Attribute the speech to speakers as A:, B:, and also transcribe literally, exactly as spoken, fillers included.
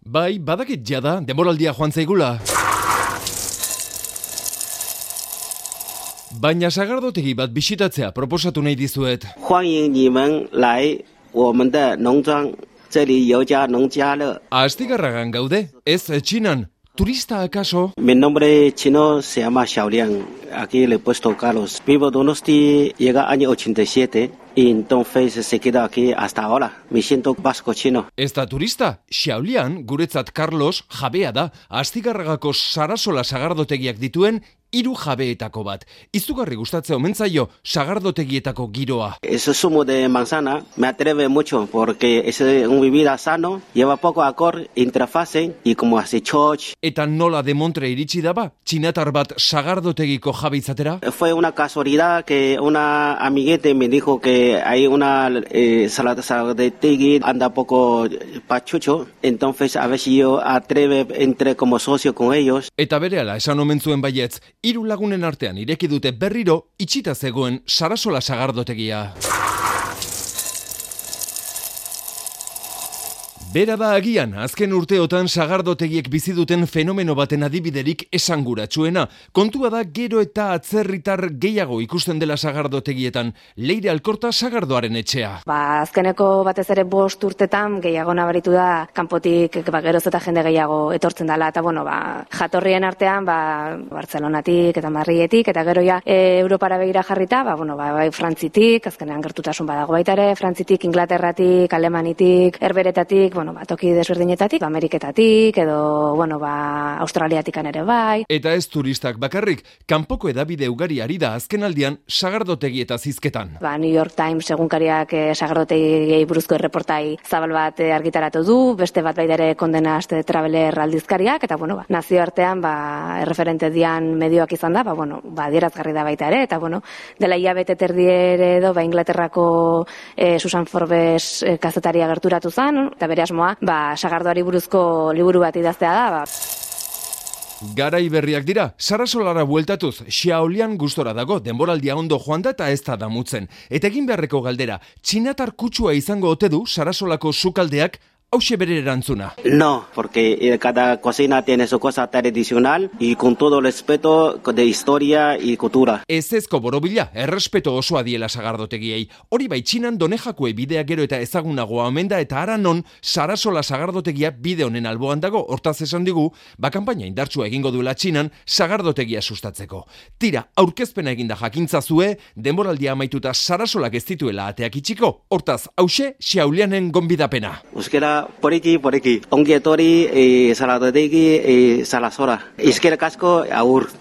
A: Bai, badakit jada, denboraldia joan zaigula. Baina sagardotegi bat bisitatzea proposatu nahi dizuet.
B: 欢迎你们来我们的农庄，这里有家农家乐。
A: Astigarragan gaude, ez Txinan. ¿Turista acaso?
B: Mi nombre chino se llama Xiaoliang. Aquí le he puesto Carlos. Vivo Donosti, llega año ochenta y siete y entonces se queda aquí hasta ahora. Me siento vasco chino.
A: Ez da turista, Xiaolian, guretzat Carlos, jabea da, Astigarragako Sarasola sagardotegiak dituen hiru jabeetako bat. Izugarri gustatzea omen zaio sagardotegietako giroa.
B: Ese zumo de manzana me atreve mucho porque es un bebida sano, lleva poco alcohol, intrafase y como hace choch.
A: Eta nola de Montre iritsi daba, txinatar bat sagardotegiko jabe izatera?
B: Fue una casualidad que una amiguete me dijo que hay una eh, sagardotegui anda poco pachucho, entonces a ver si yo atreve entre como socio con ellos.
A: Eta berehala esan omen zuen baietz, hiru lagunen artean ireki dute berriro itxita zegoen Sarasola sagardotegia. Bera da agian, azken urteotan sagardotegiek bizi duten fenomeno baten adibiderik esanguratsuena. Kontua da gero eta atzerritar gehiago ikusten dela sagardotegietan. Leire Alkorta sagardoaren etxea.
C: Ba, azkeneko batez ere bost urtetan gehiago nabaritu da kanpotik ba, geroz eta jende gehiago etortzen dela. Eta bueno, ba, jatorrien artean ba, Bartzelonatik eta Madriletik eta gero ja e, Europara begira jarrita, ba, bueno, ba, bai Frantzitik, azkenean gertutasun badago baita ere, Frantzitik, Inglaterratik, Alemanitik, Herberetatik, bueno, ba, toki desberdinetatik, Ameriketatik, edo, bueno, ba, Australiatikan ere bai.
A: Eta ez turistak bakarrik, kanpoko edabide ugari ari da azkenaldian sagardotegi eta zizketan.
C: Ba, New York Times egunkariak eh, sagardotegiei buruzko erreportai zabal bat eh, argitaratu du, beste bat baita ere Kondenast Traveler aldizkariak, eta, bueno, ba, nazioartean, ba, erreferente dian medioak izan da, ba, bueno, ba, adierazgarri da baita ere, eta, bueno, dela hilabete terdiere edo, ba, Inglaterrako eh, Susan Forbes eh, kazetaria gerturatu zen, eta bere asmoa, ba, sagardoari buruzko liburu bat idaztea da, ba.
A: Garai berriak dira, Sarasolara bueltatuz, Xiaolian gustora dago, denboraldia ondo joan da eta ez da damutzen. Eta egin beharreko galdera, txinatar kutsua izango ote du Sarasolako sukaldeak, hauxe bere erantzuna.
B: No, porque cada cocina tiene su cosa tradicional y con todo el respeto de historia y cultura.
A: Ez ezko borobila, errespeto osoa diela sagardotegiei. Hori bai Txinan Donejakue bidea gero eta ezagunagoa omen da eta ara non Sarasola sagardotegia bide honen alboan dago, hortaz esan digu, ba kanpaina indartsua egingo duela Txinan sagardotegia sustatzeko. Tira, aurkezpena eginda jakintzazue, denboraldia amaituta Sarasolak ez dituela ateak itxiko, hortaz hauxe Xiaolianen gonbidapena.
B: Euskera por aquí, por aquí. Ongi etorri, eh, sagardotegui, eh, Sarasola. Eskerrik asko, agur.